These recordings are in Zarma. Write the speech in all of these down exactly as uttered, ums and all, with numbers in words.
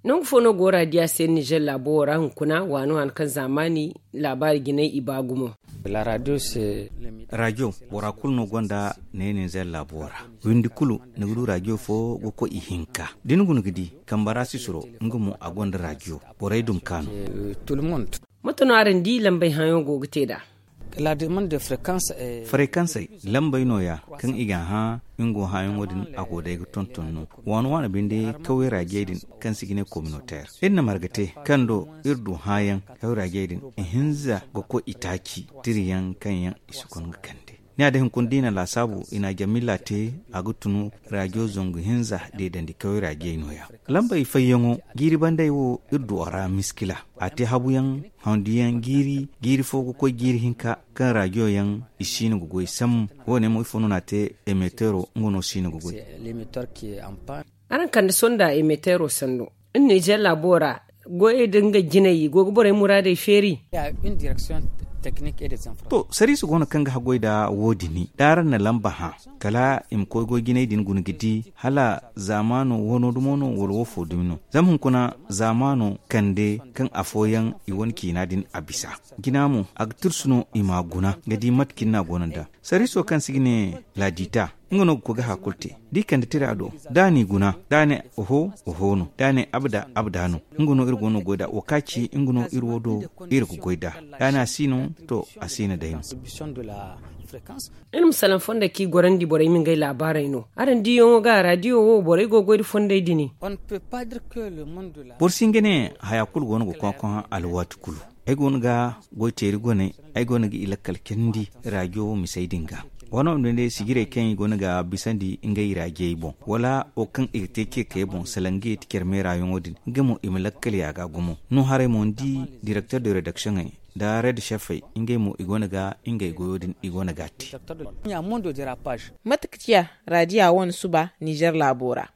Nangu fo no go raadiya se nizer laabo wo ra hunkuna waani waani kaŋ zaamaani laabaari jinay i ba gumo. Raadiyo bora kulu no gonda ne nizer laabo ra. Windi kulu ni ga du raadiyo fo ga koy ihinka da ni guna ga di kambara sisiro nga mo a gonda raadiyo. Borey dum kaanu. Mate no araŋ di lambey hãayaŋo go ga te nd'a? Farekansey lambey nooya kaŋ i ga a hã nga wo hãayaŋo din a go day ga tonton no. Waani waani binde kaway raajey din kaŋ se i ga ne kominoteer iri na marga te kaŋ do iri du hãayaŋ kaway raajey din ihinza ga koy itaaci tirayaŋ kaŋ yaŋ i si kongu kande. Ni a day hunkuna da i na laasaabu i na a jamilla te a ga tunu raajo zangu hinza deedandi kaway raajey nooya. Lambey fayyaŋo jiiri bandey wo iri du a ra miskila. A te habuyaŋ handuyaŋ jiiri jiiri fo ga koy jiiri hinka kaŋ raajo yaŋ i siino ga goy sambu. Wo- ne mo ifo no na a te emeteero nga no siino ga goy. Araŋ kande sonda emeteero sanno iri nizer laabo ra goyey da nga jinay i go ga borey muraadey feeri. To sariisa go no kaŋ ga haggoy nda wo- din da araŋ na lamba hã kala i ma koy goy jinay din guna ga di hala zaamaano wano dumo no wala wo fo dumi no. Zama hunkuna zaamaano kande kaŋ afooyaŋ i wane ciina din a bisa jina mo a ga tirsu no i m'a guna ga di mate kaŋ ni n'a guna nda sariiso kaŋ se i ga ne laadiita. Nga no ga koy ga haya kulu te da i kande tira do da a n'i guna da a ne oho oho no da a ne abada abada no. Nga no iri go no ga goy nd'a wo kaŋ a ci nga no iri wo do iri ga goy nd'a. Da a ne a si no to a si no day no. Iri ma salaŋ fondo kaŋ i gorandi borey ma ngey laabaarey no araŋ diyaŋo ga raadiyo wo borey go ga goy nda fondey din. Boro si hin ga ne haya kulu go no ga koŋ-koŋ alwaati kulu. Ay go no ga goyteeri goney ay go no ga i lakkal candi raajo misey din ga. Waano din day sijirey kaŋ i go no ga bisandi ngey raajey boŋ wala wo kaŋ i ga te ceekey boŋ salaŋ ga i ti care meeraayaŋo din nga mo i ma lakkal ya ga gumo no haray mo ni di direkter de redaksiyoŋey nda red chefey ngey mo i go no ga ngey goyo din i go no ga a te. Mate ka ciya raadiya wane suba nizer laabo ra?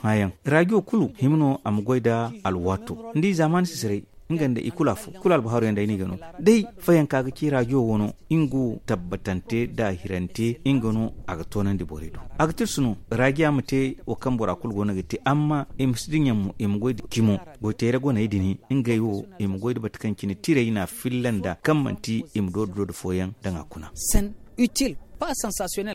Hãayaŋ raajo kulu hima no a ma goy nda alwaato ni di zaamaani sisirey nga nda i kulu afo kulu albahaaru yaŋ day no i ga no. Day fayanka ga ci raajo wo no nga wo tabbatante nda hirante nga no a ga toonandi borey do. A ga tirsu no raajiya ma te wo kaŋ bora kulu go no ga te amma i ma si dinya mo i ma goy nda cimo goyteere goney din ngey wo i ma goy nda bate kaŋ cine tirey na filla nda kaŋ manti i ma doori doori fooyaŋ daŋ a kuna. Senn util pas sansasiyonel.